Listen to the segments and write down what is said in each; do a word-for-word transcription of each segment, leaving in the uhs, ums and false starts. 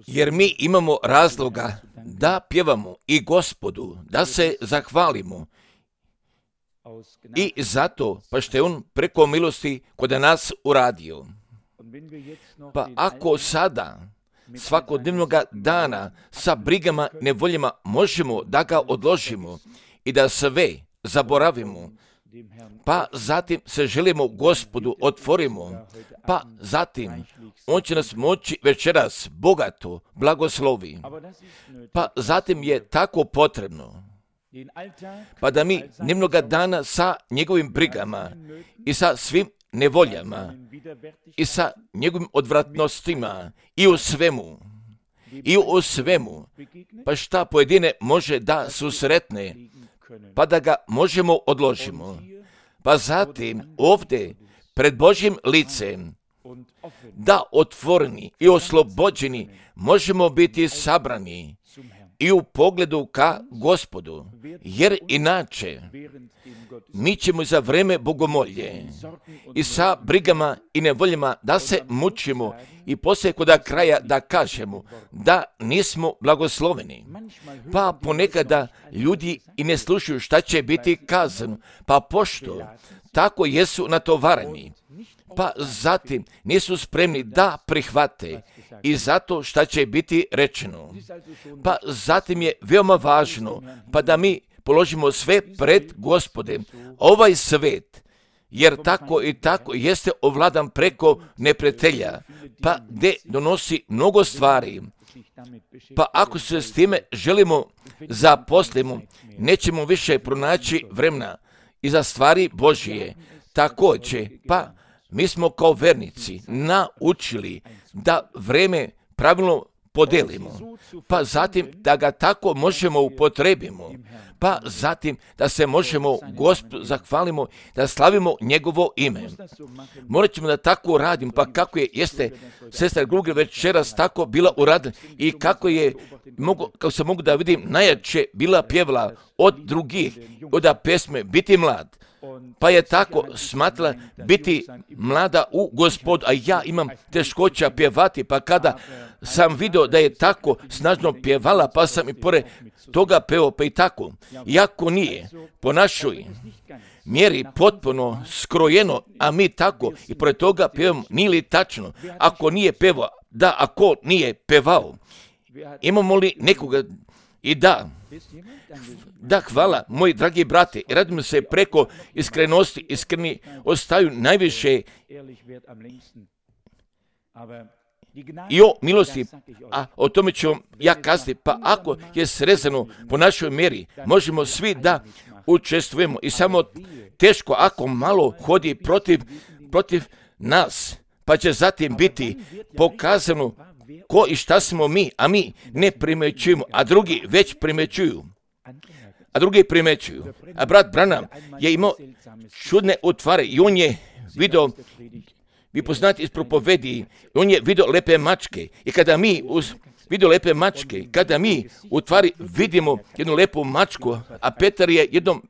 Jer mi imamo razloga da pjevamo i Gospodu, da se zahvalimo. I zato, pa što je on preko milosti kod nas uradio. Pa ako sada, svakodnevnog dana, sa brigama, nevoljama, možemo da ga odložimo i da sve zaboravimo, pa zatim se želimo Gospodu otvorimo, pa zatim on će nas moći večeras bogato blagoslovi. Pa zatim je tako potrebno, pa da mi dnevnoga dana sa njegovim brigama i sa svim nevoljama i sa njegovim odvratnostima i u svemu, i u svemu, pa šta pojedine može da susretne, pa da ga možemo odložimo. Pa zatim ovdje pred Božjim licem da otvoreni i oslobođeni možemo biti sabrani i u pogledu ka Gospodu, jer inače mi ćemo za vreme bogomolje i sa brigama i nevoljama da se mučimo i poslije kod kraja da kažemo da nismo blagosloveni. Pa ponekada ljudi i ne slušaju šta će biti kazano, pa pošto tako jesu natovareni, pa zatim nisu spremni da prihvate i zato šta će biti rečeno. Pa zatim je veoma važno pa da mi položimo sve pred Gospodem. Ovaj svet, jer tako i tako jeste ovladan preko neprijatelja, pa gdje donosi mnogo stvari. Pa ako se s time želimo zaposlimo, nećemo više pronaći vremena i za stvari Božije. Također, pa mi smo kao vernici naučili da vreme pravilno podelimo, pa zatim da ga tako možemo upotrebimo, pa zatim da se možemo Gospodu zahvalimo, da slavimo njegovo ime. Morat ćemo da tako radimo, pa kako je, jeste sestra Gruger večeras tako bila uradila i kako je, mogu, kako se mogu da vidim, najjače bila pjevala od drugih, od pesme Biti mlad. Pa je tako smatrala biti mlada u Gospodu, a ja imam teškoća pjevati, pa kada sam vidio da je tako snažno pjevala, pa sam i pored toga peo, pa i tako. Iako nije po našoj mjeri potpuno skrojeno, a mi tako i pored toga pjevamo, nije li tačno, ako nije pevao, da, ako nije pevao, imamo li nekoga i da, da, hvala, moji dragi brate, i radimo se preko iskrenosti, iskreni ostaju najviše i o milosti, a o tome ću vam ja kazati, pa ako je srezano po našoj mjeri, možemo svi da učestvujemo i samo teško ako malo hodi protiv, protiv nas, pa će zatim biti pokazano ko i šta smo mi, a mi ne primećujemo, a drugi već primećuju. A drugi primećuju. A brat Branham je imao čudne utvare i on je vidio, vi poznate iz propovedi, on je vidio lepe mačke. I kada mi uz vidio lepe mačke, kada mi u tvari vidimo jednu lepu mačku, a Petar je jednom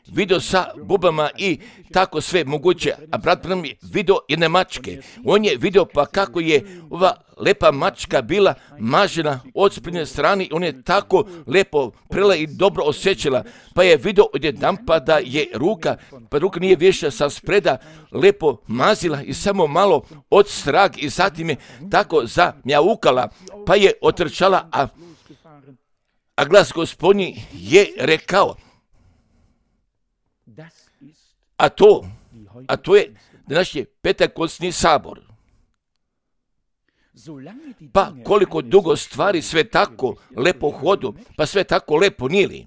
vidio sa bubama i tako sve moguće, a brat Branham je vidio jedne mačke. On je vidio pa kako je ova lepa mačka bila mažena od sprednje strane, on je tako lepo prela i dobro osjećala, pa je vidio odjedanput da je ruka, pa ruka nije više sa spreda lepo mazila i samo malo od strag i zatim je tako zamjaukala, pa je otrčala, a, a glas Gospodnji je rekao, A to, a to je današnji Pentekostni sabor. Pa koliko dugo stvari sve tako lepo hodu, pa sve tako lepo nije li?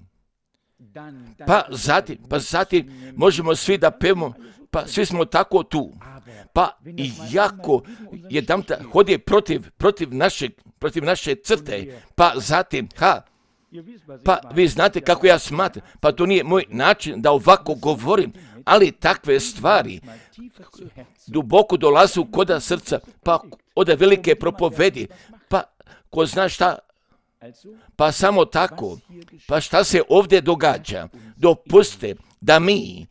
Pa zatim, pa zatim možemo svi da pevamo, pa svi smo tako tu. Pa i jako jedan hodi protiv, protiv, našeg, protiv naše crte, pa zatim, ha, pa vi znate kako ja smatram, pa to nije moj način da ovako govorim, ali takve stvari duboko dolazu koda srca, pa od velike propovedi, pa ko zna šta, pa samo tako, pa šta se ovdje događa, dopuste da mi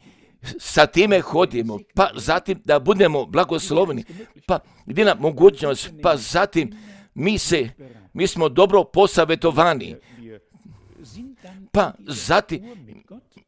sa time hodimo, pa zatim da budemo blagosloveni, pa jedina mogućnost, pa zatim mi se, mi smo dobro posavjetovani, pa zatim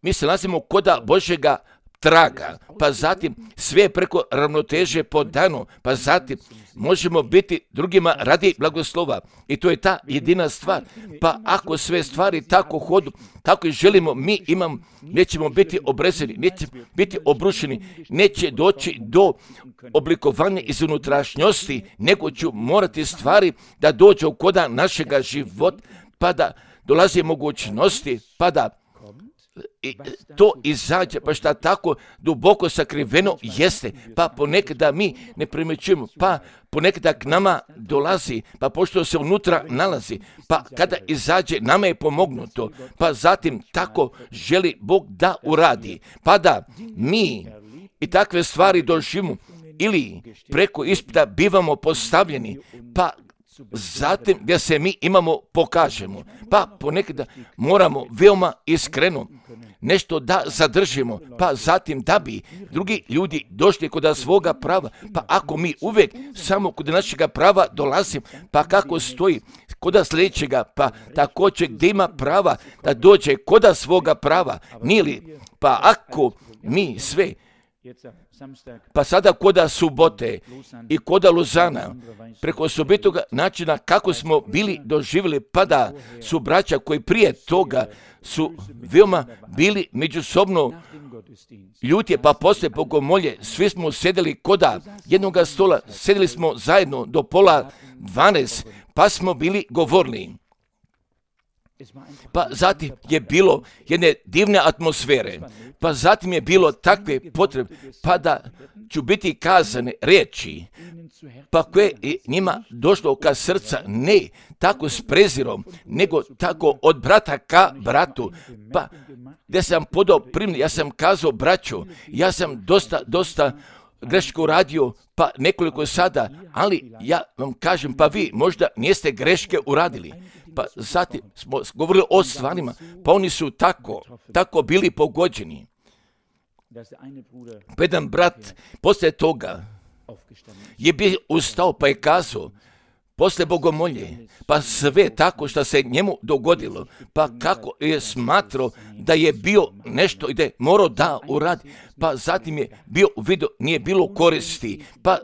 mi se nalazimo koda Božjega traga, pa zatim sve preko ravnoteže po danu, pa zatim možemo biti drugima radi blagoslova. I to je ta jedina stvar. Pa ako sve stvari tako hodu, tako i želimo, mi imamo, nećemo biti obrezeni, nećemo biti obrušeni, neće doći do oblikovanja iz unutrašnjosti, nego ću morati stvari da dođu koda našega života, pa da dolazi mogućnosti, pa da I to izađe, pa šta tako duboko sakriveno jeste, pa ponekada mi ne primjećujemo, pa ponekada k nama dolazi, pa pošto se unutra nalazi, pa kada izađe nama je pomognuto, pa zatim tako želi Bog da uradi, pa da mi i takve stvari doživimo ili preko ispita bivamo postavljeni, pa zatim gdje se mi imamo pokažemo, pa ponekada moramo veoma iskreno nešto da zadržimo, pa zatim da bi drugi ljudi došli kod svoga prava, pa ako mi uvijek samo kod našega prava dolazimo, pa kako stoji kod sljedećega, pa također gdje ima prava da dođe kod svoga prava, nije li, pa ako mi sve, pa sada koda subote i koda Luzana, preko osobitoga načina kako smo bili doživjeli, pa da su braća koji prije toga su veoma bili međusobno ljutje, pa poslije bogomolje, svi smo sedeli koda jednoga stola, sedeli smo zajedno do pola dvanaest, pa smo bili govorili. Pa zatim je bilo jedne divne atmosfere, pa zatim je bilo takve potrebe, pa da ću biti kazane riječi, pa koje je njima došlo ka srca, ne tako s prezirom, nego tako od brata ka bratu, pa gdje sam podao primjer, ja sam kazao braćo, ja sam dosta, dosta greško uradio, pa nekoliko sada, ali ja vam kažem, pa vi možda niste greške uradili. Pa zatim smo govorili o stvarima, pa oni su tako, tako bili pogođeni. Pa jedan brat poslije toga je bio ustao pa je kazao, poslije bogomolje, pa sve tako što se njemu dogodilo, pa kako je smatrao da je bio nešto i da je morao da uradi, pa zatim je bio u vidu, nije bilo koristi, pa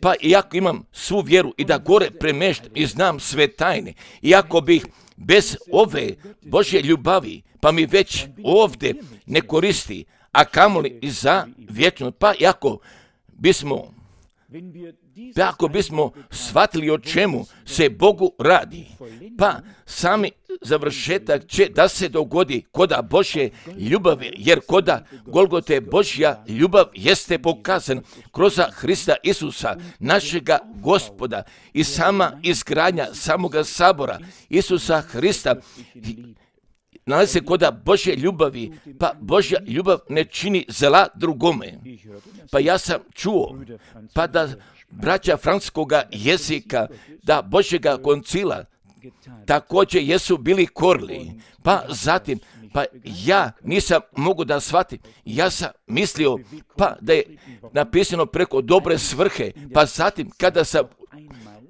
Pa iako imam svu vjeru i da gore premeštam i znam sve tajne, iako bih bez ove Božje ljubavi, pa mi već ovdje ne koristi, a kamoli i za vječno, pa iako bismo, pa ako bismo shvatili o čemu se Bogu radi, pa sami završetak će da se dogodi koda Božje ljubavi, jer koda Golgote Božja ljubav jeste pokazana kroz Hrista Isusa, našega Gospoda, i sama izgradnja samoga sabora Isusa Hrista nalazi se koda Božje ljubavi, pa Božja ljubav ne čini zla drugome. Pa ja sam čuo, pa da braća francuskoga jezika, da Božjega koncila također jesu bili korli, pa zatim, pa ja nisam mogu da shvatim, ja sam mislio, pa da je napisano preko dobre svrhe, pa zatim kada sam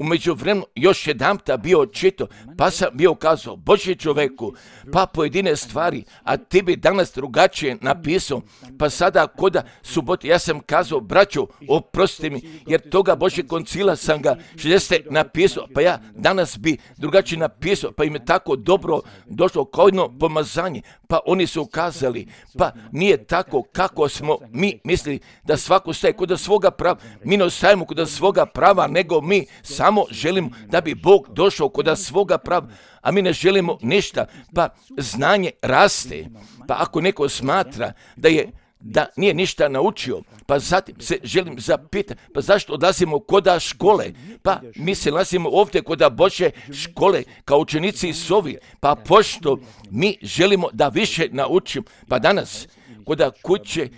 u međuvremenu još jedanputa bio čito, pa sam bio kazao, Božji čoveku, pa pojedine stvari, a ti bi danas drugačije napisao, pa sada koda subote, ja sam kazao, braćo, oprostite mi, jer toga Božje koncila sam ga šezdeset napisao, pa ja danas bi drugačije napisao, pa im je tako dobro došlo kao jedno pomazanje, pa oni su ukazali, pa nije tako kako smo mi mislili da svako staje kod svoga prava, mi ne ostajemo kod svoga prava, nego mi samo želimo da bi Bog došao kod svoga prava, a mi ne želimo ništa, pa znanje raste, pa ako neko smatra da je da nije ništa naučio, pa zatim se želim zapitati, pa zašto odlazimo koda škole, pa mi se nalazimo ovdje koda Božje škole kao učenici Isovi, pa pošto mi želimo da više naučimo, pa danas koda kuće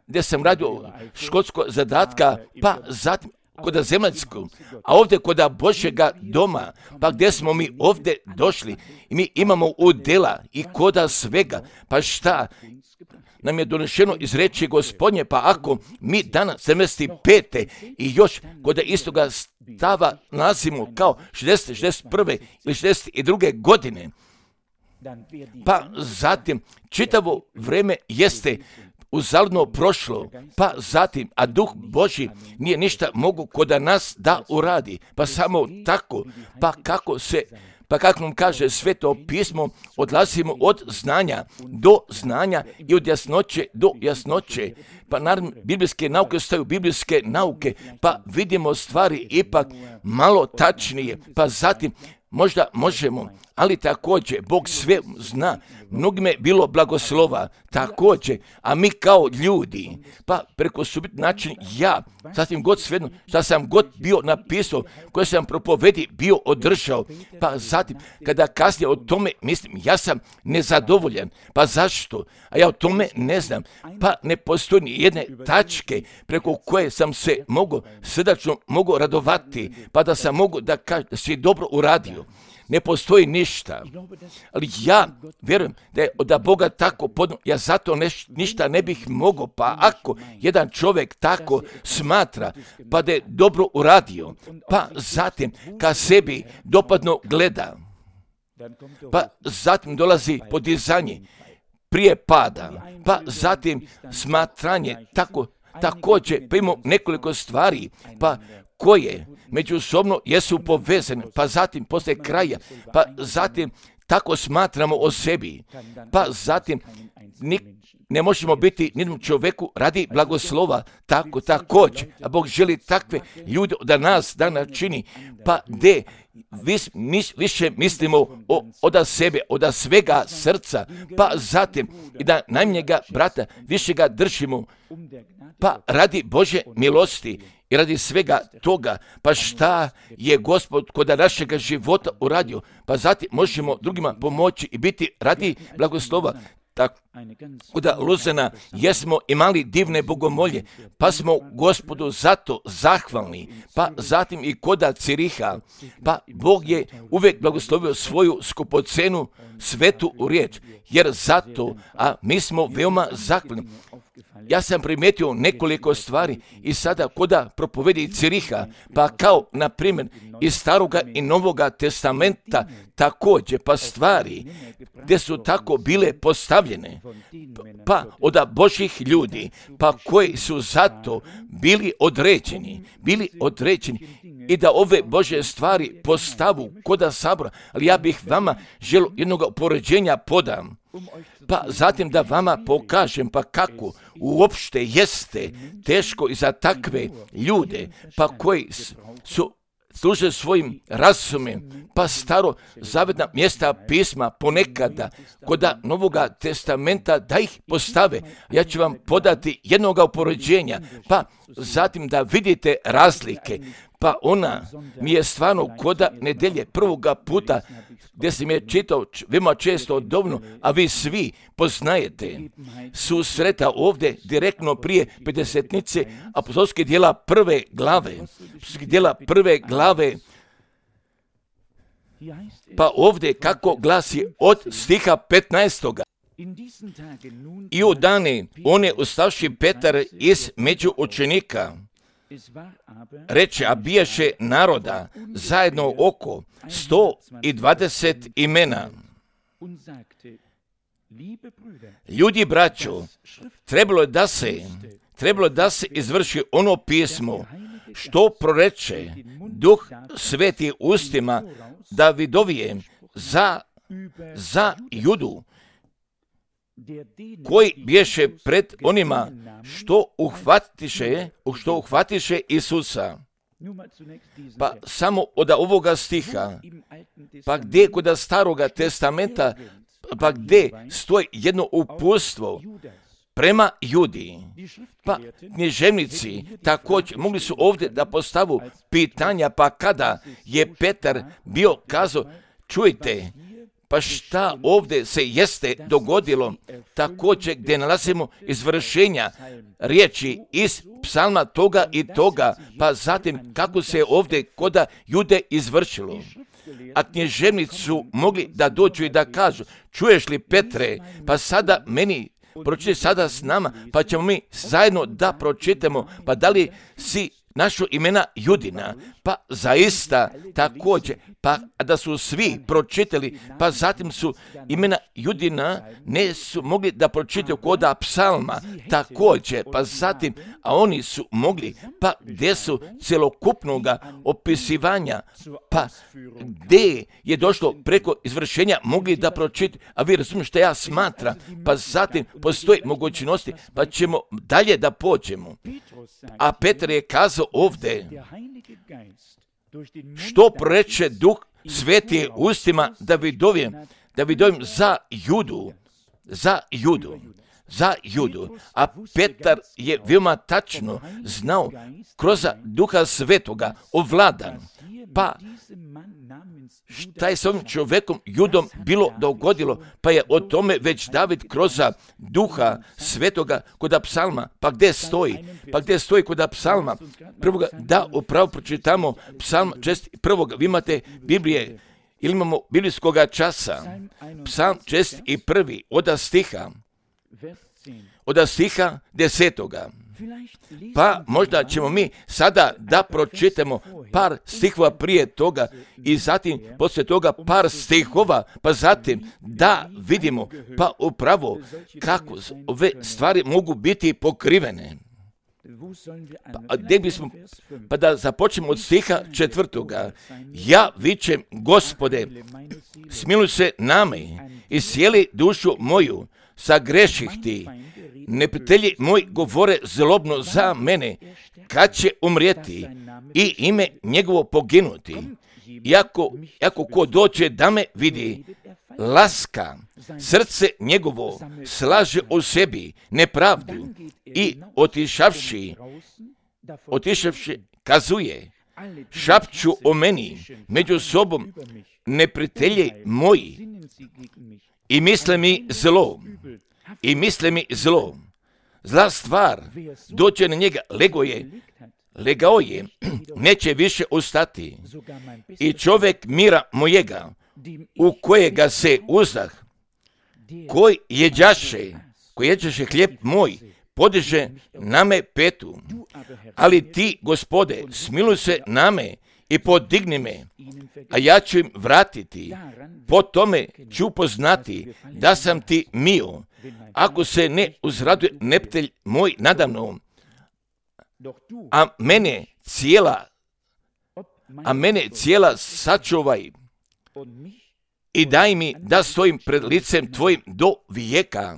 gdje sam radio školsko zadatka, pa zatim kod zemaljskog, a ovdje kod Božjega doma, pa gdje smo mi ovdje došli i mi imamo udjela i koda svega, pa šta nam je donešeno iz reči Gospodnje, pa ako mi danas sedamdeset pete i još kod istoga stava nalazimo kao šezdeset, šezdeset prve ili šezdeset druge godine, pa zatim čitavo vrijeme jeste uzaludno prošlo, pa zatim, a Duh Božji nije ništa mogu kod nas da uradi, pa samo tako, pa kako se Pa kako nam kaže Sveto pismo, odlazimo od znanja do znanja i od jasnoće do jasnoće. Pa naravno, biblijske nauke ostaju biblijske nauke, pa vidimo stvari ipak malo tačnije, pa zatim možda možemo, ali također Bog sve zna, mnogime je bilo blagoslova, također, a mi kao ljudi, pa preko subit način ja, sasvim god svejedno, šta sam god bio napisao, koje sam propovedi bio održao, pa zatim, kada kasnije o tome mislim, ja sam nezadovoljan, pa zašto? A ja o tome ne znam, pa ne postoji ni jedne tačke preko koje sam se mogu, srdačno mogu radovati, pa da sam mogu da kažem da si dobro uradio. Ne postoji ništa, ali ja vjerujem da je od Boga tako podno, ja zato neš, ništa ne bih mogao, pa ako jedan čovjek tako smatra, pa da je dobro uradio, pa zatim ka sebi dopadno gleda, pa zatim dolazi podizanje prije pada, pa zatim smatranje, tako, također pa imamo nekoliko stvari, pa koje međusobno jesu povezane, pa zatim poslije kraja, pa zatim tako smatramo o sebi, pa zatim nik, ne možemo biti nijednom čovjeku radi blagoslova, tako također, a Bog želi takve ljude da nas da načini, pa gdje vis, mis, više mislimo o, od sebe, od svega srca, pa zatim i da najmanjega brata više ga držimo, pa radi Božje milosti i radi svega toga, pa šta je Gospod kod našega života uradio, pa zatim možemo drugima pomoći i biti radi blagoslova. Tako, kod Luzana jesmo imali divne bogomolje, pa smo Gospodu zato zahvalni, pa zatim i kod Ciriha, pa Bog je uvijek blagoslovio svoju skupocenu svetu riječ, jer zato, a mi smo veoma zahvalni. Ja sam primijetio nekoliko stvari i sada koda propovedi Ciriha, pa kao, na primjer, iz Staroga i Novoga testamenta također, pa stvari gdje su tako bile postavljene, pa od Božjih ljudi, pa koji su zato bili određeni, bili određeni i da ove Božje stvari postavu koda sabora, ali ja bih vama želio jednog poređenja podam, pa zatim da vama pokažem pa kako uopšte jeste teško i za takve ljude, pa koji su služe svojim razumem, pa staro zavetna mjesta pisma ponekada kod Novoga testamenta da ih postave. Ja ću vam podati jednoga upoređenja, pa zatim da vidite razlike. Pa ona mi je stvarno koda nedelje prvoga puta gdje sam je čitao veoma često odovno, a vi svi poznajete susreta ovdje direktno prije pedesetnice apostolske djela prve glave, djela prve glave, pa ovdje kako glasi od stiha petnaestoga. I u dane one ustavši Petar iz među učenika, reče, a bijaše naroda zajedno oko sto i dvadeset imena. Ljudi, braćo, trebalo je da se, trebalo da se izvrši ono pismo što proreče Duh Sveti ustima Davidovije za, za Judu, koji bješe pred onima što uhvatiše, što uhvatiše Isusa. Pa samo od ovoga stiha, pa gdje kod Staroga testamenta, pa gdje stoji jedno uputstvo prema Judi. Pa književnici također mogli su ovdje da postavu pitanja, pa kada je Petar bio kazao, čujte, Pa šta ovdje se jeste dogodilo, također gdje nalazimo izvršenja riječi iz psalma toga i toga, pa zatim kako se ovdje koda Jude izvršilo. A književnici su mogli da dođu i da kažu, čuješ li Petre, pa sada meni pročitaj sada s nama, pa ćemo mi zajedno da pročitamo, pa da li si našo imena Judina, pa zaista također, pa da su svi pročitali, pa zatim su imena Judina ne su mogli da pročitaju koda psalma, također, pa zatim, a oni su mogli, pa gdje su celokupnoga opisivanja, pa gdje je došlo preko izvršenja mogli da pročitaju, a vi razumijete što ja smatram, pa zatim postoji mogućnosti, pa ćemo dalje da pođemo. A Petar je kazao ovdje, što proreče Duh Sveti ustima Davidovim, Davidovim za Judu, za Judu, za Judu. A Petar je veoma tačno znao kroz Duha Svetoga ovladan. Pa šta je s ovim čovjekom Judom bilo dogodilo, pa je o tome već David kroz Duha Svetoga kod psalma, pa gdje stoji, pa gdje stoji kod psalma, prvoga, da upravo pročitamo psalm čest prvoga, vi imate Biblije, ili imamo biblijskoga časa, psalm čest i prvi, od stiha, od stiha desetoga. Pa možda ćemo mi sada da pročitamo par stihova prije toga i zatim poslije toga par stihova, pa zatim da vidimo pa upravo kako ove stvari mogu biti pokrivene. Pa, gdje bismo, pa da započnemo od stiha četvrtoga. Ja vičem, Gospode, smiluj se nami i sjeli dušu moju, sagreših ti. Neprijatelji moji govore zlobno za mene, kad će umrijeti i ime njegovo poginuti. Iako, iako ko dođe da me vidi, laska, srce njegovo slaže u sebi nepravdu i otišavši, otišavši kazuje, šapću o meni među sobom neprijatelji moji i misle mi zlo. I misle mi zlo, zla stvar, dođe na njega, lego je, legao je, neće više ustati. I čovjek mira mojega, u kojega se uzdah, koji jeđaše, koji jeđaše hljeb moj, podiže na me petu. Ali ti, Gospode, smiluj se na me i podigni me, a ja ću im vratiti. Po tome ću poznati da sam ti mio, ako se ne uzraduje neprijatelj moj nadamnom, a mene cijela, a mene cijela sačuvaj i daj mi da stojim pred licem tvojim do vijeka.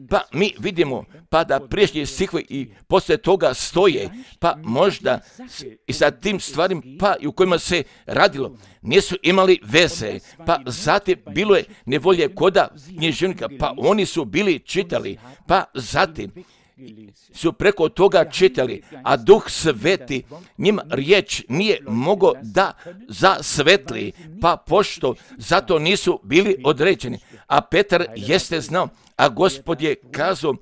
Pa mi vidimo, pa da priješnji stihovi i poslije toga stoje, pa možda i sa tim stvarima, pa i u kojima se radilo, nisu imali veze, pa zatim bilo je nevolje koda književnika, pa oni su bili čitali, pa zatim su preko toga čitali, a Duh Sveti njima riječ nije mogao da zasvetli, pa pošto zato nisu bili određeni. A Petar jeste znao, a Gospod je kazao,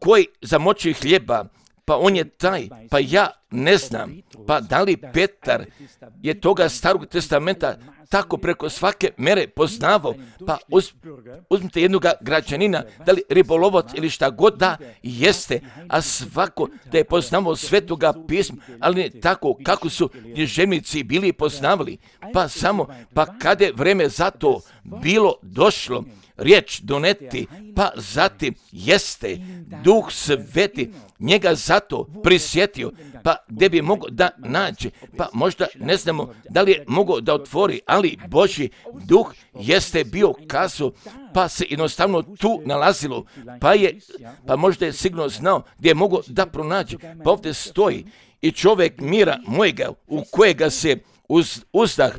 koji zamoči hljeba, pa on je taj, pa ja ne znam, pa da li Petar je toga Starog testamenta tako preko svake mere poznavao, pa uz, uzmite jednoga građanina, da li ribolovac ili šta god da jeste, a svako da je poznavao Svetoga pisma, ali ne tako kako su književnici bili poznavali, pa samo, pa kada je vreme za to bilo došlo, riječ doneti, pa zatim jeste Duh Sveti njega zato prisjetio, pa gdje bi mogao da nađe, pa možda ne znamo da li je mogao da otvori, ali Božji Duh jeste bio kazao, pa se jednostavno tu nalazilo, pa je, pa možda je sigurno znao gdje je mogao da pronađe, pa ovdje stoji i čovjek mira mojega u kojega se uz, uzdah,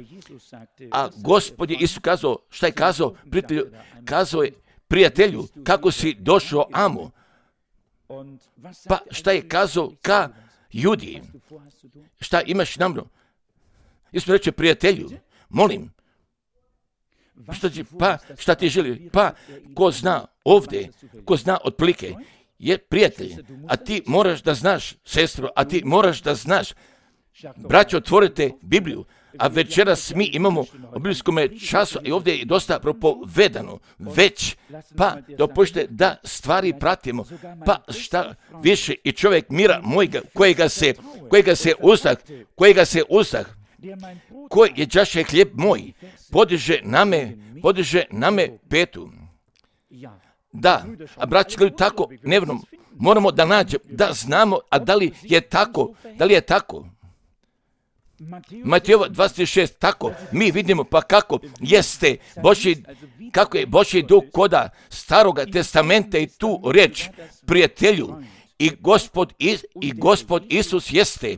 a Gospod je Isus kazao, šta je kazao? Prijatelju, kazao je prijatelju, kako si došao amo? Pa šta je kazao ka Judi? Šta imaš namno? Isus reče prijatelju, molim, Što ti, pa, šta ti želi? Pa, ko zna ovdje, ko zna otprilike, je prijatelj, a ti moraš da znaš, sestro, a ti moraš da znaš. Braćo, otvorite Bibliju, a večeras mi imamo u biblijskom času i ovdje je dosta propovedano, već, pa dopušte da stvari pratimo, pa šta više i čovjek mira mojega, kojega se, kojega se uzdah, kojega se uzdah, koji je đaše hljeb moj, podiže na me, podiže na me petu. Da, a braći, tako nevno, moramo da nađemo, da znamo, a da li je tako, da li je tako. Matejova dvadeset šest, tako, mi vidimo pa kako jeste Božji, kako je Božji duh koda staroga testamenta i tu reč prijatelju. I Gospod, i Gospod Isus jeste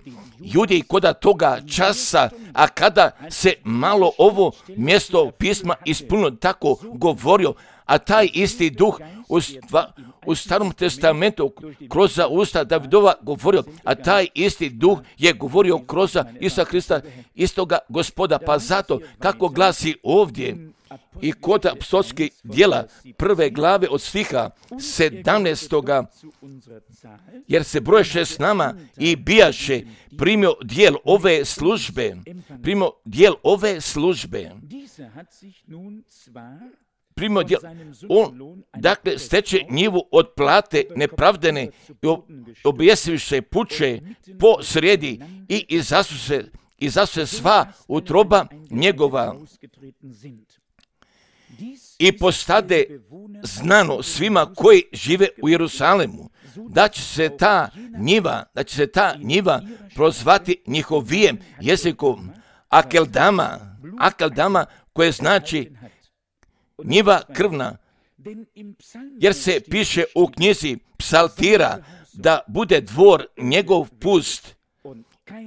ljudi koda toga časa, a kada se malo ovo mjesto pisma ispunilo, tako govorio, a taj isti duh u, stva, u starom testamentu kroz za usta Davidova govorio, a taj isti duh je govorio kroz za Isusa Krista, istoga Gospoda, pa zato kako glasi ovdje i kod apostolskih djela prve glave od stiha sedamnaestoga, jer se broješe s nama i bijaše primio dijel ove službe, primio dijel ove službe. Primio dijel, on, dakle, steče njivu od plate nepravdene i objesivše puče po sredi i izasu se, izasu se sva utroba njegova. I postade znano svima koji žive u Jerusalemu, da će se ta njiva, da će se ta njiva prozvati njihovijem jezikom Akeldama, Akeldama koje znači njiva krvna, jer se piše u knjizi Psaltira da bude dvor njegov pust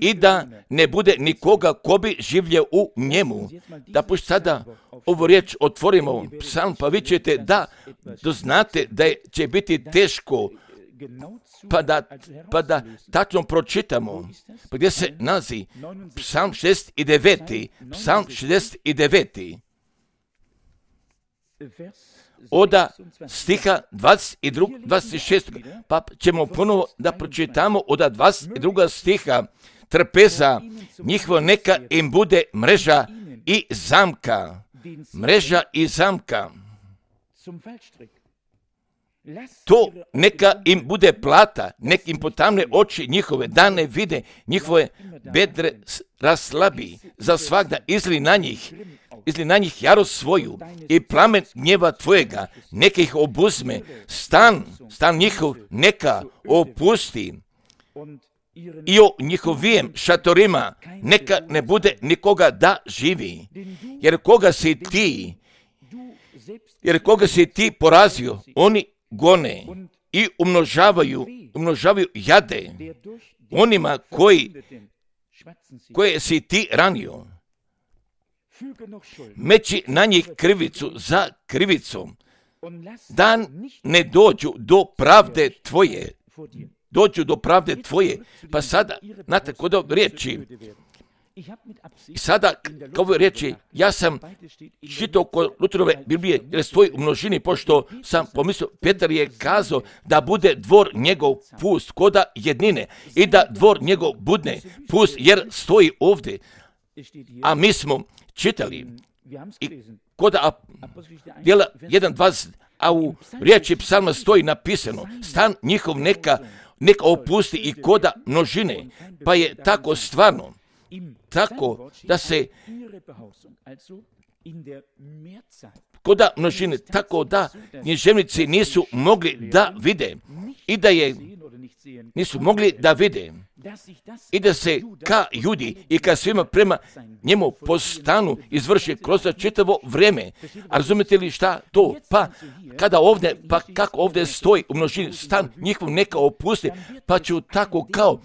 i da ne bude nikoga ko bi življe u njemu. Da pošto sada ovu riječ otvorimo psalm, pa vi ćete da doznate da je, će biti teško, pa da, pa da tačno pročitamo. Pa gdje se nalazi psalm šezdeset devet. Psalm šezdeset devet. Oda stiha dvadeset dva, dvadeset šest. Pa ćemo ponovo da pročitamo oda dvadeset drugog stiha. Trpeza njihova neka im bude mreža i zamka. Mreža i zamka. To neka im bude plata, nek im potamne oči njihove, da ne vide njihove bedre raslabi, za svagda izli na njih, izli na njih jarost svoju i plamen gnjeva tvojega, neka ih obuzme, stan, stan njihov neka opusti i o njihovijem šatorima neka ne bude nikoga da živi, jer koga si ti, jer koga si ti porazio, oni gone i umnožavaju, umnožavaju jade onima koji, koje si ti ranio. Meći na njih krivicu za krivicom, da ne dođu do pravde tvoje, dođu do pravde tvoje. Pa sada, znate, kod ove riječi, i sada, kao ove riječi, ja sam čitao kod Lutherove Biblije, jer stoji u množini, pošto sam pomislio, Petar je kazao da bude dvor njegov pust, koda jednine, i da dvor njegov budne pust, jer stoji ovdje. A mi smo čitali, i koda djela jedan dvadeset, a u riječi psalma stoji napisano, stan njihov neka, neka opusti i koda množine, pa je tako stvarno, tako da se koda množine, tako da književnici nisu mogli da vide i da je nisu mogli da vide i da se ka ljudi i ka svima prema njemu po stanu izvrši kroz čitavo vrijeme. A razumete li šta to? Pa kada ovdje, pa kako ovdje stoji u množini, stan njihov neka opusti, pa ću tako kao,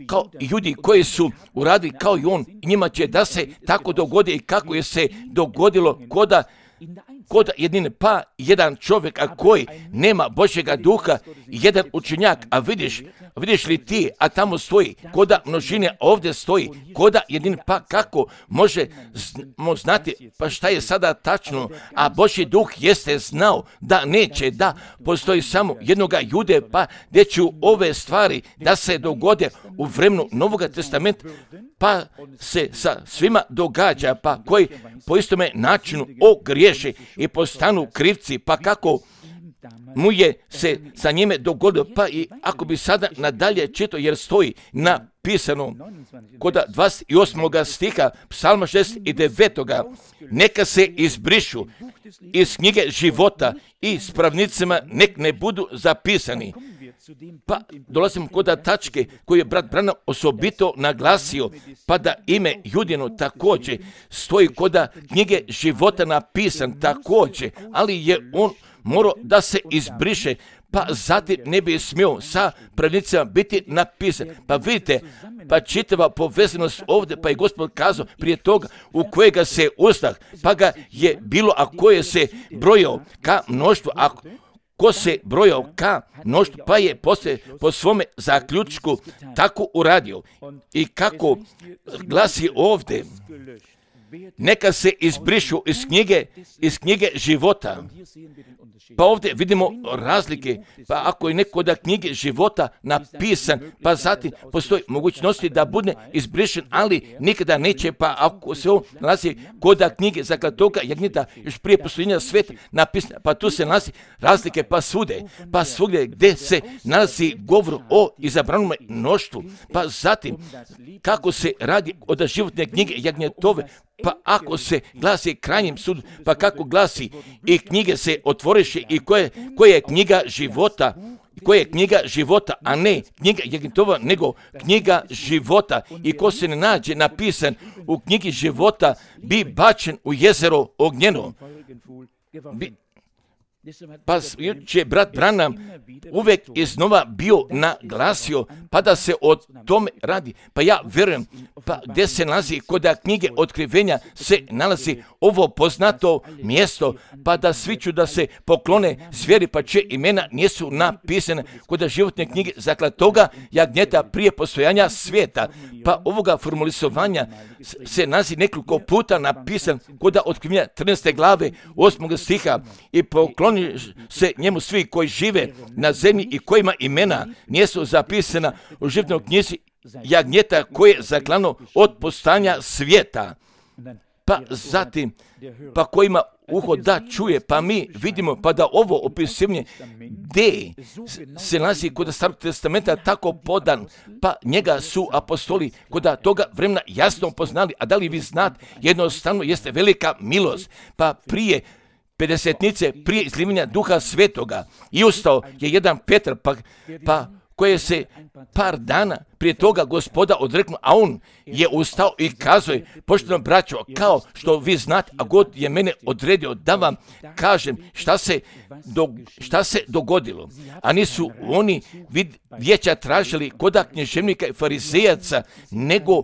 kao ljudi koji su uradili kao i on, njima će da se tako dogodi i kako je se dogodilo koda kod jedine, pa jedan čovjek a koji nema Božjega duha, jedan učenjak, a vidiš, vidiš li ti, a tamo stoji koda množine, a ovdje stoji koda jedin, pa kako možemo znati pa šta je sada tačno, a Božji duh jeste znao da neće da postoji samo jednoga Jude, pa gdje će ove stvari da se dogode u vremenu Novoga testamenta, pa se sa svima događa, pa koji po istome načinu ogriješe i postanu krivci, pa kako mu je se sa njime dogodilo, pa i ako bi sada nadalje čitao, jer stoji napisano kod dvadeset osmog stiha Psalma šezdeset devet. Neka se izbrišu iz knjige života i s pravnicima nek ne budu zapisani. Pa dolazimo kod tačke koju je brat Branham osobito naglasio, pa da ime Judino također stoji kod knjige života napisan također, ali je on morao da se izbriše, pa zatim ne bi smio sa pravnicima biti napisan. Pa vidite, pa čitava povezanost ovdje, pa je Gospod kazao prije toga u kojega se ustah, pa ga je bilo, a koje se brojao ka mnoštvu, a ko se brojao ka mnoštvu, pa je poslije po svome zaključku tako uradio. I kako glasi ovdje, neka se izbrišu iz knjige, iz knjige života. Pa ovdje vidimo razlike, pa ako je neko da knjige života napisan, pa zatim postoji mogućnosti da bude izbrišen, ali nikada neće, pa ako se on nalazi kod knjige zaklatoga jagnjeta još prije postojanja sveta napisano, pa tu se nalazi razlike, pa svude, pa svugdje gdje se nalazi govor o izabranom mnoštvu, pa zatim kako se radi od životne knjige jagnjetove, pa ako se glasi krajnjim sud, pa kako glasi i knjige se otvoriše i koje, koje je knjiga života, koja je knjiga života, a ne knjiga jagnjetova, nego knjiga života. I ko se ne nađe napisan u knjigi života, bi bačen u jezero ognjeno. Bi, pa je brat Branham uvijek iznova bio naglasio, pa da se o tome radi. Pa ja vjerujem, pa gdje se nalazi kod knjige otkrivenja se nalazi ovo poznato mjesto, pa da svi ću da se poklone zvijeri, pa čije imena nisu napisane kod životne knjige zaklatoga jagnjeta prije postojanja svijeta. Pa ovoga formulisovanja se nalazi nekoliko puta napisan kod otkrivenja trinaeste glave osmog stiha i pokloni se njemu svi koji žive na zemlji i kojima imena nisu zapisana u životnoj knjizi jagnjeta koje je zaklano od postojanja svijeta. Pa zatim, pa kojima uho da čuje, pa mi vidimo, pa da ovo opisivanje gdje se nalazi kod Starog testamenta tako podan, pa njega su apostoli kod toga vremena jasno poznali, a da li vi znate, jednostavno jeste velika milost, pa prije pedesetnice, prije izlivanja Duha Svetoga, i ustao je jedan Petar, pa, pa koje se par dana prije toga Gospoda odreknuo, a on je ustao i kazao je, poštovano braćo, kao što vi znate, a God je mene odredio da vam kažem šta se, do, šta se dogodilo. A nisu oni vid, vijeća tražili koda knježevnika i farizejaca, nego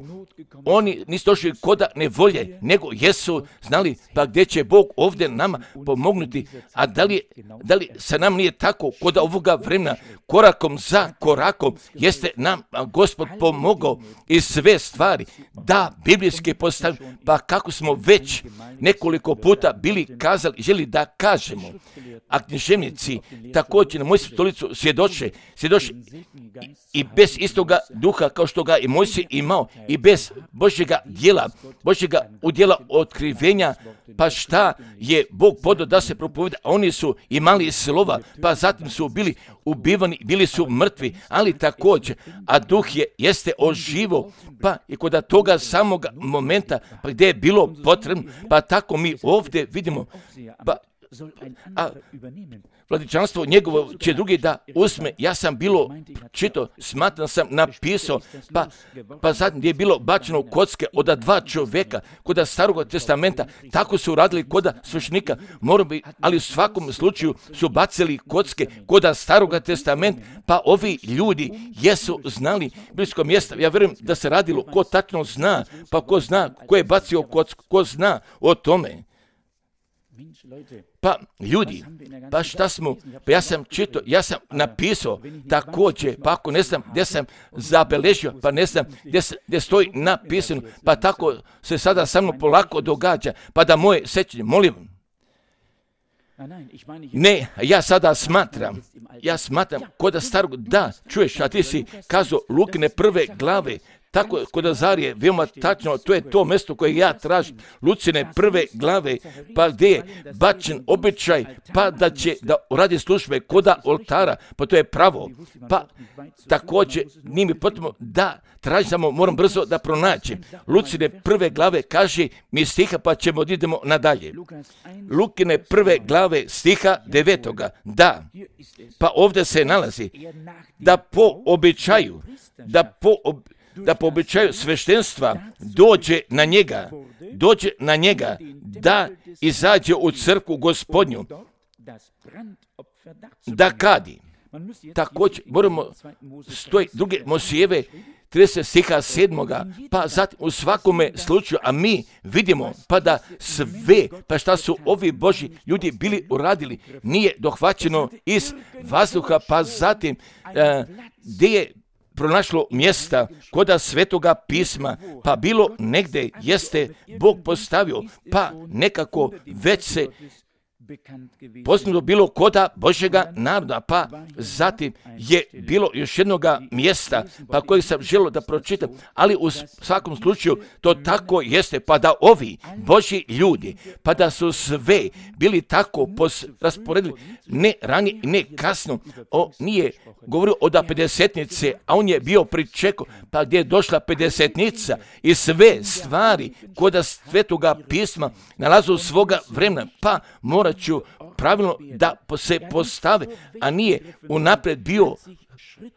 oni nisu došli koda nevolje, nego jesu znali pa gdje će Bog ovdje nama pomognuti, a da li, da li se nam nije tako koda ovoga vremena korakom za korakom jeste nam Gospod pomogao i sve stvari da biblijski postavimo, pa kako smo već nekoliko puta bili kazali, želi da kažemo, a knježevnici također na Mojsiju stolicu svjedoče, svjedoče i, i bez istoga duha kao što ga i Mojsij imao i bez Božjega djela, Božjega udjela otkrivenja, pa šta je Bog podao da se propoveda, a oni su imali slova, pa zatim su bili ubivani, bili su mrtvi, ali također, a duh je, jeste oživo, pa i kod toga samog momenta, pa gdje je bilo potrebno, pa tako mi ovdje vidimo, pa a vladičanstvo njegovo će drugi da uzme. Ja sam bilo čito, smatram sam napisao, pa, pa zatim gdje je bilo bačeno kocke od dva čovjeka kod Starog testamenta, tako su radili kod sveštenika, ali u svakom slučaju su bacili kocke kod Starog testamenta, pa ovi ljudi jesu znali blisko mjesta. Ja vjerujem da se radilo, ko tačno zna, pa ko zna, ko je bacio kocku, ko zna o tome. Pa ljudi, pa šta smo, pa ja sam čitao, ja sam napisao također, pa ako ne znam gdje sam zabeležio, pa ne znam gdje, gdje stoji napisano, pa tako se sada sa mnom polako događa, pa da moje sećanje, molim. Ne, ja sada smatram, ja smatram kod starog, da, čuješ, a ti si kazao Lukine prve glave, tako kod Azarije, veoma tačno, to je to mjesto koje ja tražim, Lucine prve glave, pa gdje je bačen običaj, pa da će da uradi službe koda oltara, pa to je pravo, pa također nije mi potrebno da tražimo, moram brzo da pronađem. Lucine prve glave kaže mi stiha, pa ćemo idemo nadalje. Lukine prve glave stiha devetoga, da, pa ovdje se nalazi, da po običaju, da po običaju, da po običaju sveštenstva dođe na njega, dođe na njega, da izađe u crkvu Gospodnju, da kadi. Također moramo stoji druge Mosijeve trideset stiha sedmoga, pa zatim u svakome slučaju, a mi vidimo pa da sve, pa šta su ovi Božji ljudi bili uradili, nije dohvaćeno iz vazduha, pa zatim uh, gdje je pronašlo mjesta koda Svetoga pisma, pa bilo negdje jeste Bog postavio, pa nekako već se poznato bilo koda Božjega naroda, pa zatim je bilo još jednoga mjesta, pa kojeg sam želio da pročitam, ali u svakom slučaju to tako jeste, pa da ovi Božji ljudi, pa da su sve bili tako pos, rasporedili, ne ranije i ne kasno, o, nije govorio o da pedesetnice, a on je bio pričekao, pa gdje je došla pedesetnica i sve stvari koda Svetoga pisma nalazu svoga vremena, pa morat ću pravilno da se postave, a nije unaprijed bio,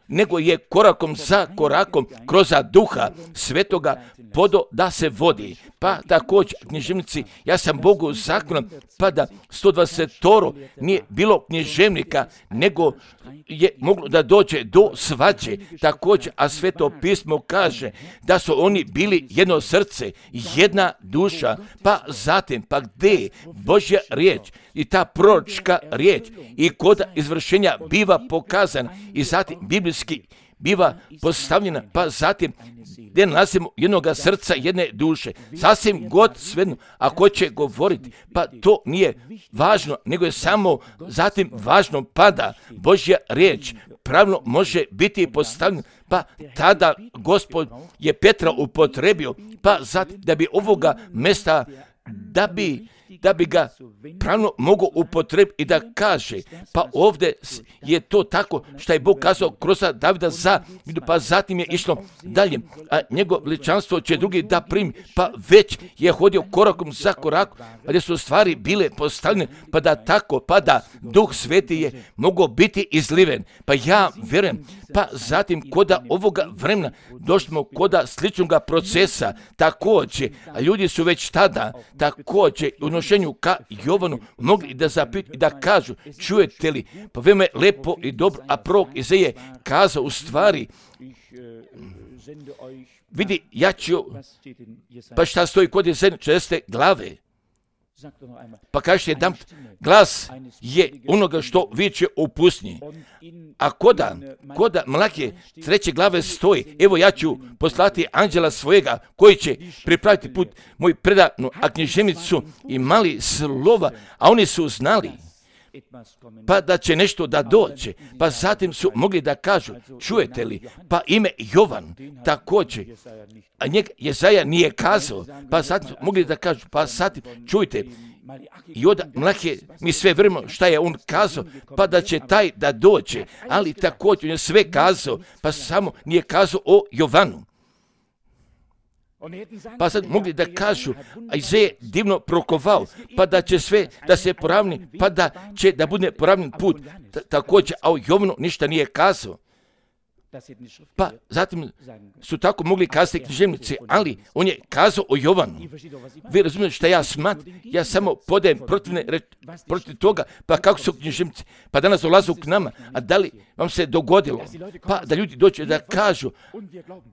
nego je korakom za korakom kroz duha Svetoga podo da se vodi. Pa također književnici, ja sam Bogu zakon, pa da sto dvadeset nije bilo književnika, nego je moglo da dođe do svađe. Također, a Sveto pismo kaže da su oni bili jedno srce, jedna duša, pa zatim, pa gdje je Božja riječ i ta proročka riječ i kod izvršenja biva pokazana i zatim biblijski biva postavljena, pa zatim gdje nalazimo jednoga srca, jedne duše. Sasvim god svejedno, ako će govoriti, pa to nije važno, nego je samo zatim važno pada Božja riječ, pravilno može biti postavljena, pa tada Gospod je Petra upotrebio, pa zatim da bi ovoga mjesta, da bi da bi ga pravno mogao upotrebiti i da kaže, pa ovdje je to tako što je Bog kazao kroz Davida za, pa zatim je išlo dalje, a njegovo veličanstvo će drugi da primi, pa već je hodio korakom za korakom, pa gdje su stvari bile postavljene, pa da tako, pa da Duh Sveti je mogao biti izliven, pa ja vjerujem, pa zatim koda ovoga vremena došli koda sličnog procesa, također, a ljudi su već tada, također, u odnošenju ka Jovanu mogli da zapitaju i da kažu, čujete li, pa veoma je lepo i dobro, a prorok Izaija kazao u stvari, vidi, ja ću, pa šta stoji kod Izaija četrdesete glave, pa kažete jedan glas je onoga što viče u pustinji. A koda, koda Malahije treće glave stoji, evo ja ću poslati anđela svojega koji će pripraviti put moj predanu, a književnicu imali slova, a oni su znali pa da će nešto da dođe, pa zatim su mogli da kažu, čujete li, pa ime Jovan također, a njega Jezaja nije kazao, pa zatim su mogli da kažu, pa zatim čujte, i od Malahije mi sve vremeno šta je on kazao, pa da će taj da dođe, ali također on je sve kazao, pa samo nije kazao o Jovanu. Pa sad mogli da kažu, a Izaija je divno prokovao, pa da će sve da se poravni, pa da će da bude poravljen put. T- također, a o Jovanu ništa nije kazao. Pa zatim su tako mogli kazati književnici, ali on je kazao o Jovanu. Vi razumijete što ja smatram, ja samo podajem protivne reč, protiv toga, pa kako su književnici, pa danas dolaze k nama, a da li vam se dogodilo, pa da ljudi dođu da kažu,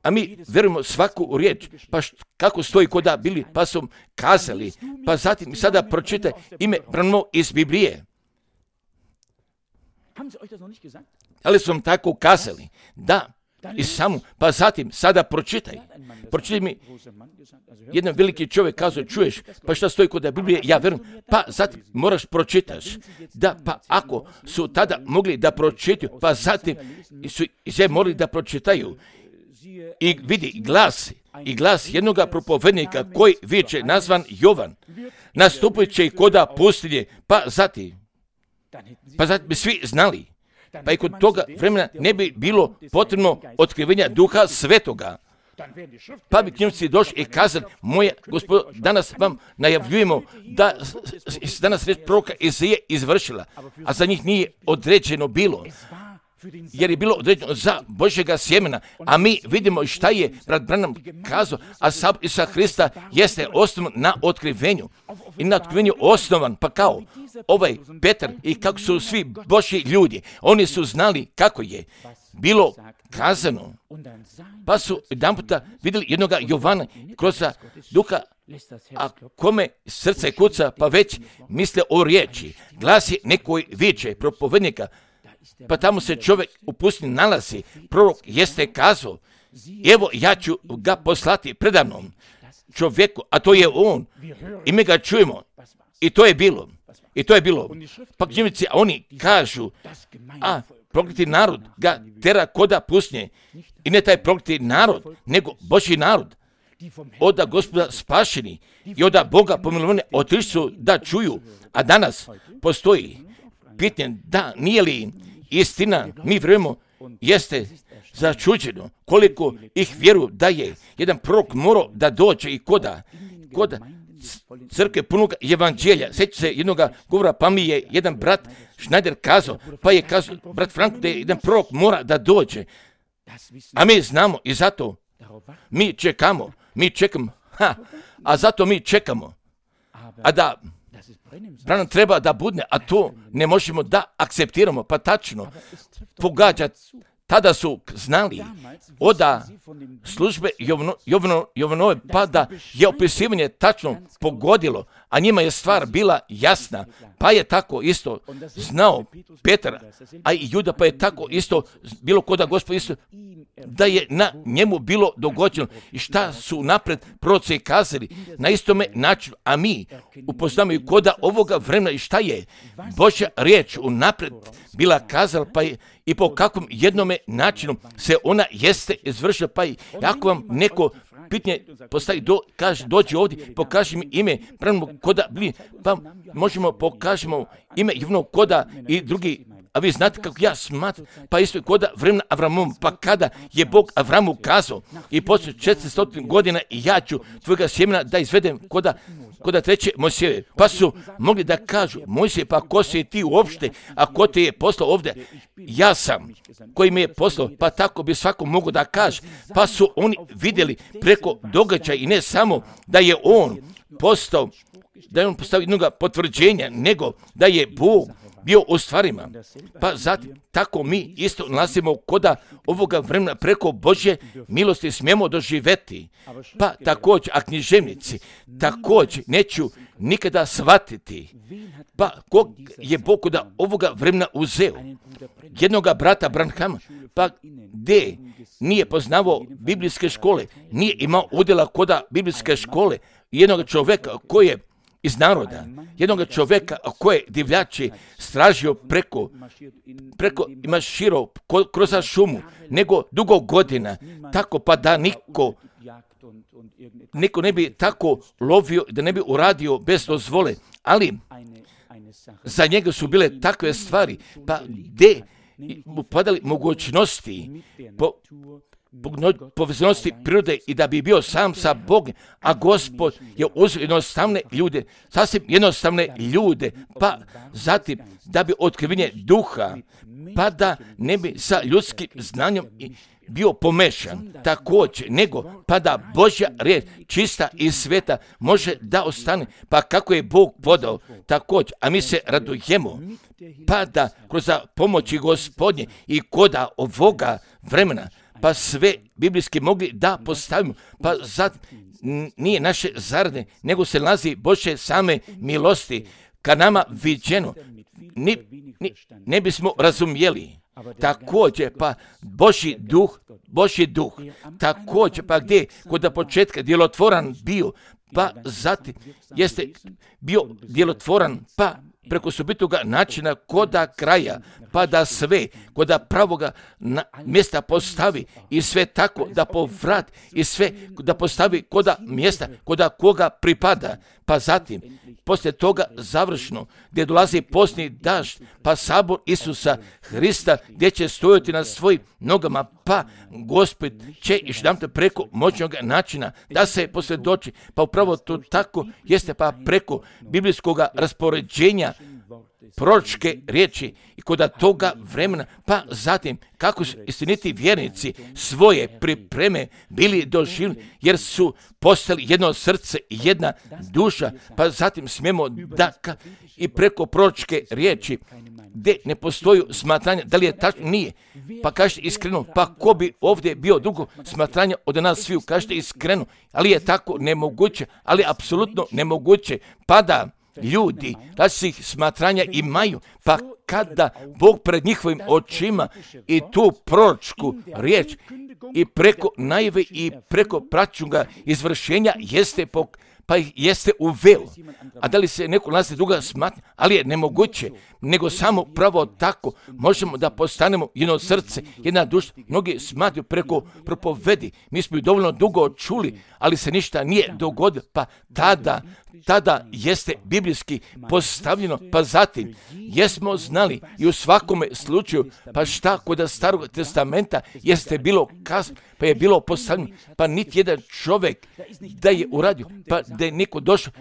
a mi vjerujemo svaku riječ, pa št, kako stoji kod da bili, pa su kazali, pa zatim sada pročitaj ime Branimo iz Biblije. Ali su vam tako kazali, da, i samo, pa zatim, sada pročitaj. Pročitaj mi, jedan veliki čovjek kazao, čuješ, pa šta stoji kod Biblije, ja vjerujem, pa zatim moraš pročitaš. Da, pa ako su tada mogli da pročitaju, pa zatim su se morali da pročitaju. I vidi glas, i glas jednog propovednika koji viče nazvan Jovan, nastupit će i koda pustinje, pa zatim, pa zatim bi svi znali. Pa i kod toga vremena ne bi bilo potrebno otkrivenja Duha Svetoga. Pa bi knjižnici došli i kazali, moje gospodo, danas vam najavljujemo da danas reč proroka Izaije izvršila, a za njih nije određeno bilo. Jer je bilo određeno za Božjega sjemena, a mi vidimo šta je brat Branham kazao, a sam Isusa Hrista jeste osnovan na otkrivenju. I na otkrivenju osnovan, pa kao ovaj Petar i kako su svi Božji ljudi, oni su znali kako je bilo kazano, pa su jedan puta vidjeli jednog Jovana kroz Duha, a kome srce kuca, pa već misle o riječi, glasi nekoj viče, propovednika, pa tamo se čovjek u pustinji nalazi, prorok jeste kazao, evo ja ću ga poslati predamnom čovjeku, a to je on, i mi ga čujemo, i to je bilo, i to je bilo, pa knjižnici, oni kažu, a prokleti narod ga tera koda pustinje, i ne taj prokleti narod, nego Božji narod, oda Gospoda spašeni i oda Boga pomilovane otišli su da čuju, a danas postoji pitanje da nije li istina, mi vjerujemo, jeste začuđeno koliko ih vjeruju da je jedan prorok morao da dođe i koda, koda crkve punog evanđelja. Sjeća se jednog govora, pa mi je jedan brat Schneider kazao, pa je kazao brat Frank da je jedan prorok mora da dođe. A mi znamo i zato mi čekamo, mi čekamo, ha, a zato mi čekamo. A da Branham treba da budne, a to ne možemo da akceptiramo, pa tačno pogađa. Tada su znali oda službe Jovno, Jovno, Jovanove, pa da je opisivanje tačno pogodilo, a njima je stvar bila jasna, pa je tako isto znao Petar, a i Juda, pa je tako isto bilo koda Gospod isto, da je na njemu bilo dogođeno i šta su napred proroci kazali na istome načinu, a mi upoznamo i koda ovoga vremena i šta je Božja riječ unapred bila kazala, pa je i po kakvom jednome načinu se ona jeste izvršila, pa i ako vam neko pitanje postavi, do, kaže, dođi ovdje, pokaži mi ime, pravimo koda, pa možemo pokažemo ime Jovnog koda i drugi. A vi znate kako ja smatram, pa isto je koda vremena Avramom, pa kada je Bog Avramu kazao i poslije četiristo godina i ja ću tvojega sjemena da izvedem koda, koda treće Mojsijeve. Pa su mogli da kažu, Mojsije, pa ko si ti uopšte, a ko te je poslao ovdje? Ja sam, koji me je poslao, pa tako bi svako mogo da kaže. Pa su oni vidjeli preko događaja i ne samo da je on postao, da je on postavio jednog potvrđenja, nego da je Bog bio u stvarima. Pa zatim, tako mi isto nalazimo koda ovoga vremena preko Božje milosti smijemo doživjeti. Pa također, a književnici također neću nikada shvatiti. Pa kog je Bog koda ovoga vremena uzeo? Jednoga brata Branhama, pa gdje nije poznavao biblijske škole, nije imao udjela koda biblijske škole, jednog čovjeka koji je iz naroda, jednog čovjeka koje divljači stražio preko, preko ima širo kroz šumu, nego dugo godina, tako pa da niko, niko ne bi tako lovio, da ne bi uradio bez dozvole, ali za njega su bile takve stvari, pa gdje upadali mogućnosti po, povezanosti prirode i da bi bio sam sa Bogom, a Gospod je uzeo jednostavne ljude, sasvim jednostavne ljude, pa zatim da bi otkrivenje duha, pa da ne bi sa ljudskim znanjem bio pomešan, također, nego pa da Božja riječ, čista i sveta, može da ostane, pa kako je Bog podao, također, a mi se radujemo, pa da kroz pomoći Gospodnje i koda ovoga vremena, pa sve biblijski mogli da postavimo, pa zato nije naše zarade, nego se nalazi Božje same milosti, ka nama viđeno, ni, ni, ne bismo razumjeli. Također, pa Božji duh, Božji duh, također, pa gdje kod početka djelotvoran bio, pa zatim jeste bio djelotvoran, pa preko sobitoga načina koda kraja, pa da sve koda pravoga na mjesta postavi i sve tako da povrat i sve da postavi koda mjesta koda koga pripada, pa zatim poslije toga završno gdje dolazi posljednji dažd, pa sabor Isusa Hrista gdje će stojati na svojim nogama, pa Gospod će još jedanput preko moćnog načina da se posvjedoči, pa upravo to tako jeste, pa preko biblijskog raspoređenja proročke riječi i kod toga vremena, pa zatim kako su istiniti vjernici svoje pripreme bili doživjeli, jer su postali jedno srce i jedna duša, pa zatim smijemo da ka, i preko proročke riječi gdje ne postoji smatranje, da li je tačno, nije, pa kažete iskreno, pa ko bi ovdje bio dugo smatranja od nas sviju, kažete iskreno, ali je tako nemoguće, ali apsolutno nemoguće, pa da ljudi različitih smatranja imaju, pa kada Bog pred njihovim očima i tu proročku riječ i preko najave i preko praćuga izvršenja jeste pok pa ih jeste uveo. A da li se neko nalazi druga smatra, ali je nemoguće, nego samo pravo tako možemo da postanemo jedno srce, jedna duša. Mnogi smatruju preko propovedi, mi smo ju dovoljno dugo čuli, ali se ništa nije dogodilo, pa tada, tada jeste biblijski postavljeno, pa zatim jesmo znali i u svakome slučaju, pa šta kod Starog testamenta jeste bilo kazano, pa je bilo postavljeno, pa niti jedan čovjek da je uradio, pa da je neko došao.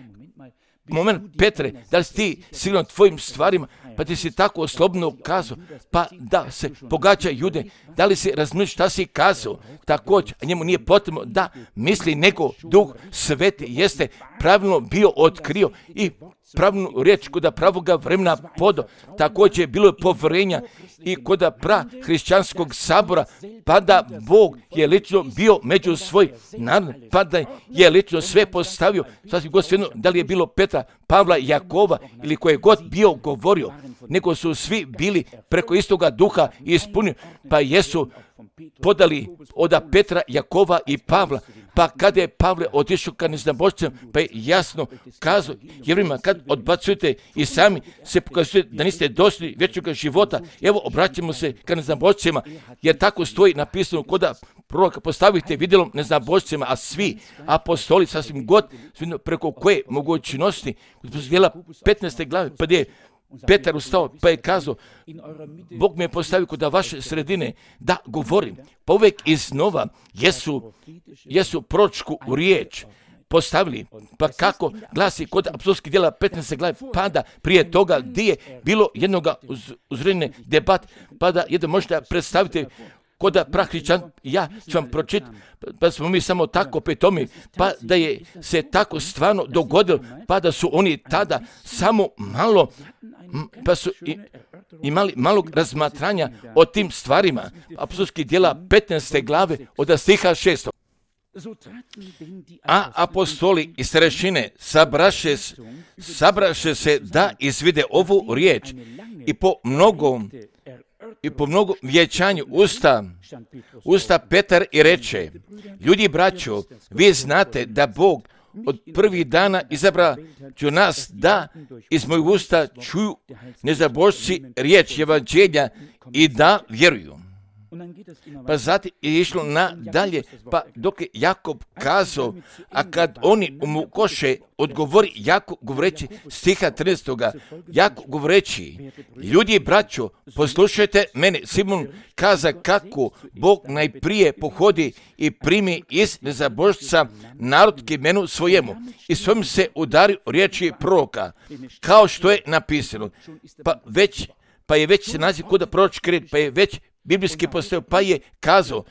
Moment, Petre, da li si ti sigurno tvojim stvarima, pa ti si tako slobodno kazao, pa da se pogađa Jude, da li si razumiješ šta si kazao, također, a njemu nije potrebno da misli nego Duh Sveti jeste pravilno bio otkrio i pravilnu riječ kod pravoga vremena podo, također bilo je povjerenja i kod pra hrišćanskog sabora, pa da Bog je lično bio među svoj narod, pa da je lično sve postavio, sasvim god svejedno, da li je bilo Petra, Pavla, Jakova ili koje god bio govorio, nego su svi bili preko istoga duha ispunjeni, pa jesu podali od Petra, Jakova i Pavla, pa kada je Pavle otišao ka neznabošcima, pa je jasno kazao Jevrejima, kad odbacujete i sami se pokazujete da niste dostojni vječnog života, evo obraćamo se ka neznabošcima, jer tako stoji napisano koda proroka, postavite vidjelom neznabošcima, a svi apostoli sasvim god preko koje mogućnosti, djela petnaeste glave, pa gdje je Petar ustao, pa je kazao, Bog me je postavio kod vaše sredine da govorim. Pa uvijek iznova jesu, jesu proročku riječ postavili. Pa kako glasi kod apostolskih djela petnaeste glave, pa da prije toga gdje je bilo jednoga uz, uzredne debat, pa da jedan možete predstaviti kod prahričan, ja ću vam pročitati, pa smo mi samo tako petomi, pa da je se tako stvarno dogodilo, pa da su oni tada samo malo, pa su i, imali malog razmatranja o tim stvarima. Apostolskih djela petnaeste glave od stiha šestog. A apostoli i starešine sabraše, sabraše se da izvide ovu riječ i po mnogom I po mnogo vječanju usta, usta Petar i reče, ljudi braćo, vi znate da Bog od prvih dana izabra ću nas da iz mojeg usta čuju nezabošci riječ evanđelja i da vjeruju. Pa zatim je išlo nadalje, pa dok je Jakob kazao, a kad oni mu koše, odgovori Jakob govoreći stiha trinaestoga, Jakob govoreći, ljudi braćo, poslušajte mene, Simon kaza kako Bog najprije pohodi i primi iz nezabožca narod k imenu svojemu i svojim se udari riječi proroka, kao što je napisano, pa već pa je već se naziv kuda proročki red, pa je već biblijski postao, pa je kazao,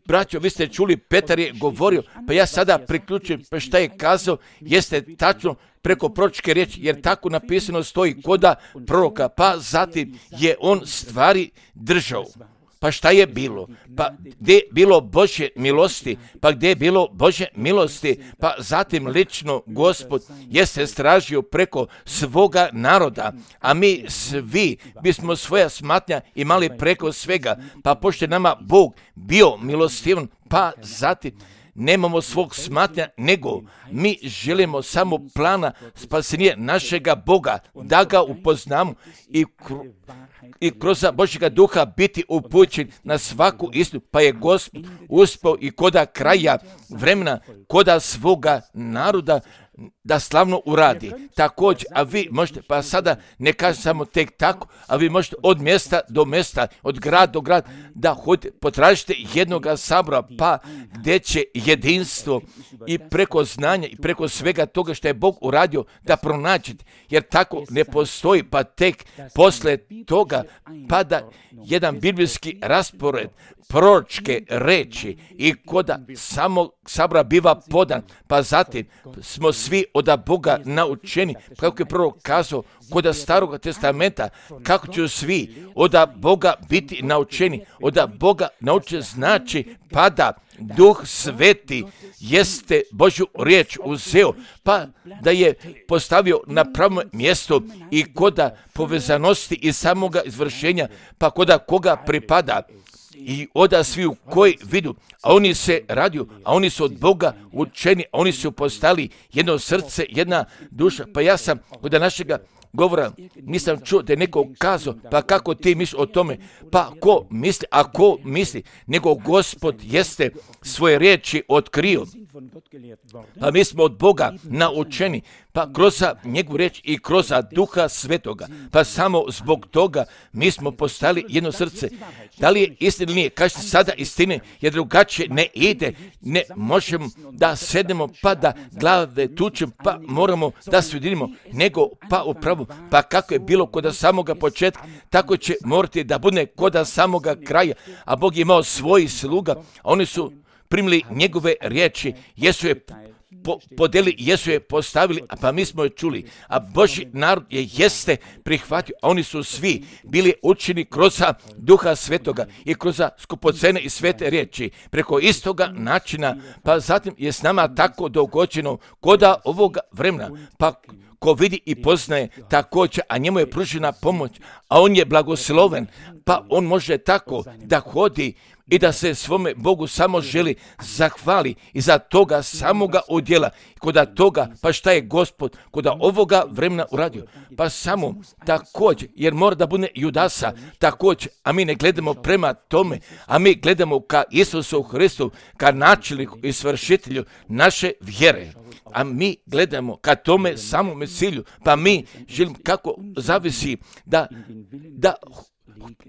braćo, vi ste čuli, Petar je govorio, pa ja sada priključujem, pa šta je kazao, jeste tačno preko proročke riječi, jer tako napisano stoji koda proroka, pa zatim je on stvari držao. Pa šta je bilo? Pa gdje je bilo Božje milosti? Pa gdje je bilo Božje milosti? Pa zatim lično Gospod jeste stražio preko svoga naroda, a mi svi bismo svoja smatnja imali preko svega. Pa pošto je nama Bog bio milostivan, pa zatim nemamo svog smatnja, nego mi želimo samo plana spasenja našega Boga, da ga upoznamo i kru, i kroz Božjega duha biti upućen na svaku istinu, pa je Gospod uspio i koda kraja vremena, koda svoga naroda da slavno uradi. Također, a vi možete, pa sada ne kažem samo tek tako, a vi možete od mjesta do mjesta, od grada do grada, da hodite, potražite jednoga sabora, pa gdje će jedinstvo i preko znanja i preko svega toga što je Bog uradio da pronađete, jer tako ne postoji, pa tek posle toga pada jedan biblijski raspored, proročke reči i koda samo sabora biva podan, pa zatim smo svi od Boga naučeni, kako je prvo kazao koda Starog testamenta, kako će svi od Boga biti naučeni, od Boga naučeni znači pada Duh Sveti jeste Božju riječ uzeo, pa da je postavio na pravo mjesto i koda povezanosti i samoga izvršenja, pa koda koga pripada. I oda svi u koji vidu, a oni se radiju, a oni su od Boga učeni, a oni su postali jedno srce, jedna duša. Pa ja sam od našega govora nisam čuo da je neko kazao, pa kako ti misliš o tome, pa ko misli, a ko misli, nego Gospod jeste svoje riječi otkrio. Pa mi smo od Boga naučeni, pa kroz njegovu riječ i kroz Duha Svetoga, pa samo zbog toga mi smo postali jedno srce. Da li je istina ili nije? Kažete sada istine, jer drugačije ne ide, ne možemo da sednemo pa da glave tučemo, pa moramo da se ujedinimo, nego pa upravo, pa kako je bilo kod samoga početka, tako će morati da bude kod samoga kraja, a Bog je imao svojih sluga, a oni su primili njegove riječi, jesu je po, podeli, jesu je postavili, a pa mi smo je čuli, a Božji narod je jeste prihvatio, a oni su svi bili učeni kroz Duha Svetoga i kroz skupocene i svete riječi, preko istoga načina, pa zatim je s nama tako dogođeno koda ovoga vremena, pa ko vidi i poznaje također, a njemu je pružena pomoć, a on je blagosloven, pa on može tako da hodi i da se svome Bogu samo želi zahvali i za toga samoga udjela. Koda toga, pa šta je Gospod koda ovoga vremena uradio? Pa samo također, jer mora da bude Judasa također, a mi ne gledamo prema tome, a mi gledamo ka Isusu Hristu, ka načelniku i svršitelju naše vjere. A mi gledamo ka tome samome cilju, pa mi želimo kako zavisi da, da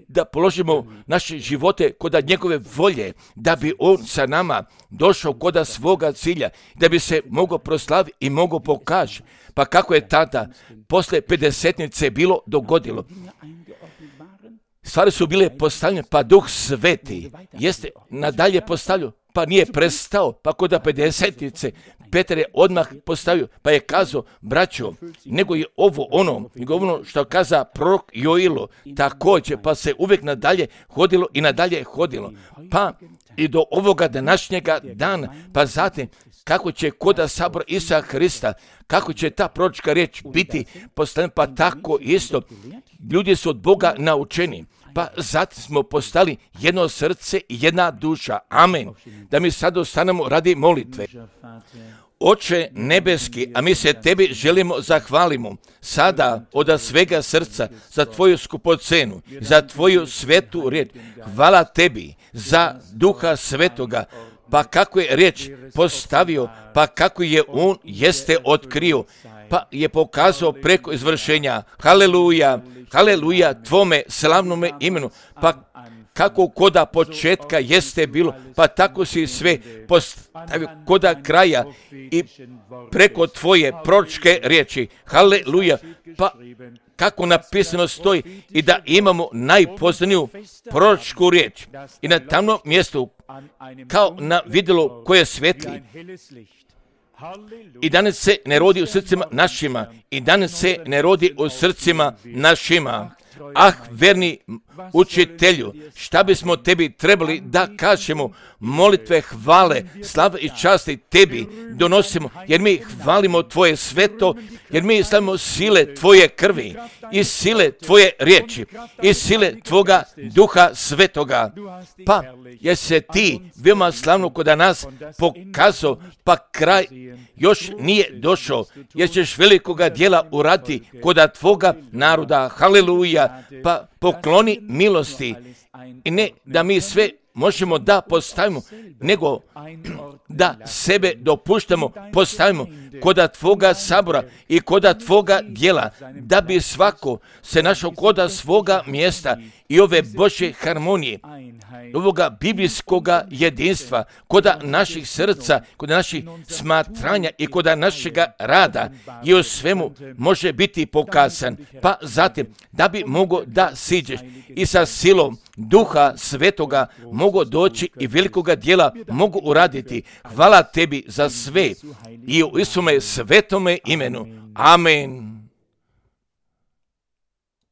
da položimo naše živote kod njegove volje, da bi on sa nama došao kod svoga cilja, da bi se mogao proslaviti i mogao pokaži. Pa kako je tada, posle pedesetnice bilo dogodilo? Stvari su bile postavljene, pa Duh Sveti jeste nadalje postavljao, pa nije prestao, pa kod pedesetnice Petar je odmah postavio, pa je kazao, braćo, nego je ovo ono, nego ono što kaza prorok Joilo, također, pa se uvijek nadalje hodilo i nadalje hodilo, pa i do ovoga današnjega dana, pa zatim, kako će koda sabora Isusa Hrista, kako će ta proročka riječ biti postavljena, pa tako isto, ljudi su od Boga naučeni, pa zatim smo postali jedno srce i jedna duša. Amen. Da mi sad ostanemo radi molitve. Oče nebeski, a mi se tebi želimo zahvalimo sada od svega srca za tvoju skupocenu, za tvoju svetu riječ. Hvala tebi za Duha Svetoga, pa kako je riječ postavio, pa kako je on jeste otkrio, pa je pokazao preko izvršenja. Haleluja, haleluja tvome slavnome imenu, pa kako koda početka jeste bilo, pa tako si sve postavio koda kraja i preko tvoje proročke riječi. Haleluja, pa kako napisano stoji i da imamo najpoznaniju proročku riječ i na tamnom mjestu kao na vidjelo koje svetli. I danas se ne rodi u srcima našima, i danas se ne rodi u srcima našima. Ah, verni učitelju, šta bismo tebi trebali da kažemo? Molitve, hvale, slave i časti tebi donosimo, jer mi hvalimo tvoje sveto, jer mi slavimo sile tvoje krvi i sile tvoje riječi i sile tvoga Duha Svetoga. Pa jer se ti veoma slavno kod nas pokazao, pa kraj još nije došao, jer ćeš velikoga djela uraditi kod tvoga naroda. Haleluja, pa pokloni milosti i ne da mi sve možemo da postavimo, nego da sebe dopuštamo, postavimo koda tvoga sabora i koda tvoga djela, da bi svako se našao koda svoga mjesta i ove Božje harmonije, ovoga biblijskoga jedinstva, koda naših srca, koda naših smatranja i koda našega rada i u svemu može biti pokazan. Pa zatim, da bi mogo da siđeš i sa silom Duha Svetoga mogu doći i velikoga djela mogu uraditi. Hvala tebi za sve i u Isume svetome imenu. Amen.